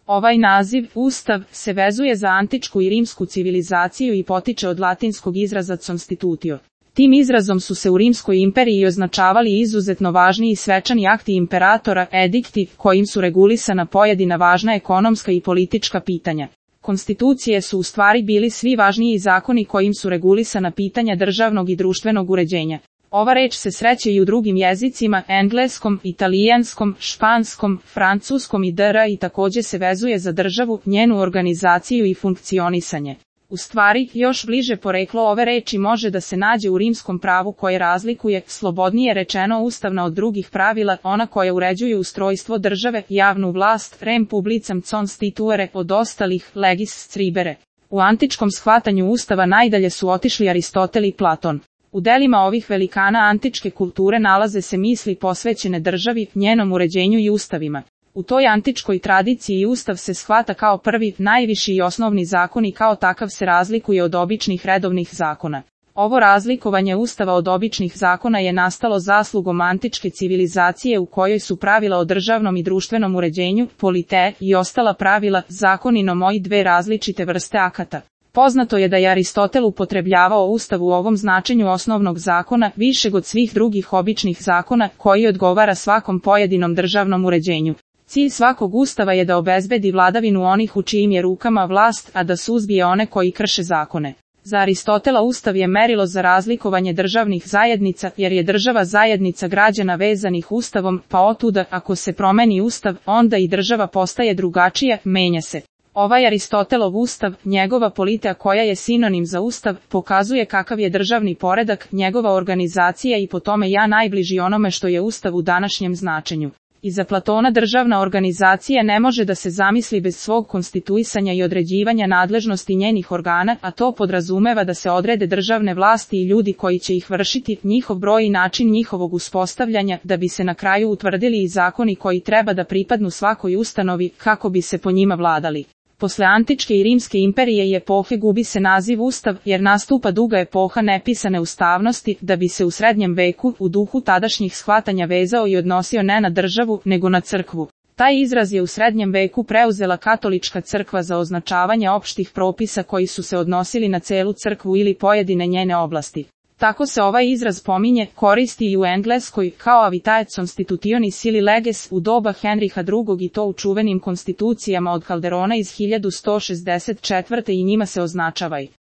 Ovaj naziv, Ustav, se vezuje za antičku i rimsku civilizaciju i potiče od latinskog izraza constitutio. Tim izrazom su se u Rimskoj imperiji označavali izuzetno važni i svečani akti imperatora, edikti, kojim su regulisana pojedina važna ekonomska i politička pitanja. Konstitucije su u stvari bili svi važniji zakoni kojim su regulisana pitanja državnog i društvenog uređenja. Ova reč se sreće i u drugim jezicima, engleskom, italijanskom, španskom, francuskom i dr. i takođe se vezuje za državu, njenu organizaciju i funkcionisanje. U stvari, još bliže poreklo ove reči može da se nađe u rimskom pravu koje razlikuje, slobodnije rečeno ustavna od drugih pravila, ona koja uređuju ustrojstvo države, javnu vlast, rem publicam constituere, od ostalih, legis scribere. U antičkom shvatanju ustava najdalje su otišli Aristotel i Platon. U delima ovih velikana antičke kulture nalaze se misli posvećene državi, njenom uređenju i ustavima. U toj antičkoj tradiciji ustav se shvata kao prvi, najviši i osnovni zakon i kao takav se razlikuje od običnih redovnih zakona. Ovo razlikovanje ustava od običnih zakona je nastalo zaslugom antičke civilizacije u kojoj su pravila o državnom i društvenom uređenju, polite, i ostala pravila, zakoninom i dve različite vrste akata. Poznato je da je Aristotel upotrebljavao ustav u ovom značenju osnovnog zakona, višeg od svih drugih običnih zakona, koji odgovara svakom pojedinom državnom uređenju. Cilj svakog ustava je da obezbedi vladavinu onih u čijim je rukama vlast, a da suzbije one koji krše zakone. Za Aristotela ustav je merilo za razlikovanje državnih zajednica, jer je država zajednica građana vezanih ustavom, pa otuda, ako se promeni ustav, onda i država postaje drugačija, menja se. Ovaj Aristotelov ustav, njegova politika koja je sinonim za ustav, pokazuje kakav je državni poredak, njegova organizacija i po tome najbliži onome što je ustav u današnjem značenju. Iza Platona državna organizacija ne može da se zamisli bez svog konstituisanja i određivanja nadležnosti njenih organa, a to podrazumeva da se odrede državne vlasti i ljudi koji će ih vršiti, njihov broj i način njihovog uspostavljanja, da bi se na kraju utvrdili i zakoni koji treba da pripadnu svakoj ustanovi, kako bi se po njima vladali. Posle antičke i rimske imperije i epohe gubi se naziv ustav, jer nastupa duga epoha nepisane ustavnosti, da bi se u srednjem veku, u duhu tadašnjih shvatanja vezao i odnosio ne na državu, nego na crkvu. Taj izraz je u srednjem veku preuzela katolička crkva za označavanje opštih propisa koji su se odnosili na celu crkvu ili pojedine njene oblasti. Tako se ovaj izraz pominje, koristi i u Engleskoj, kao avitae constitutionis ili leges u doba Henriha II. I to u čuvenim konstitucijama od Calderona iz 1164. i njima se označava i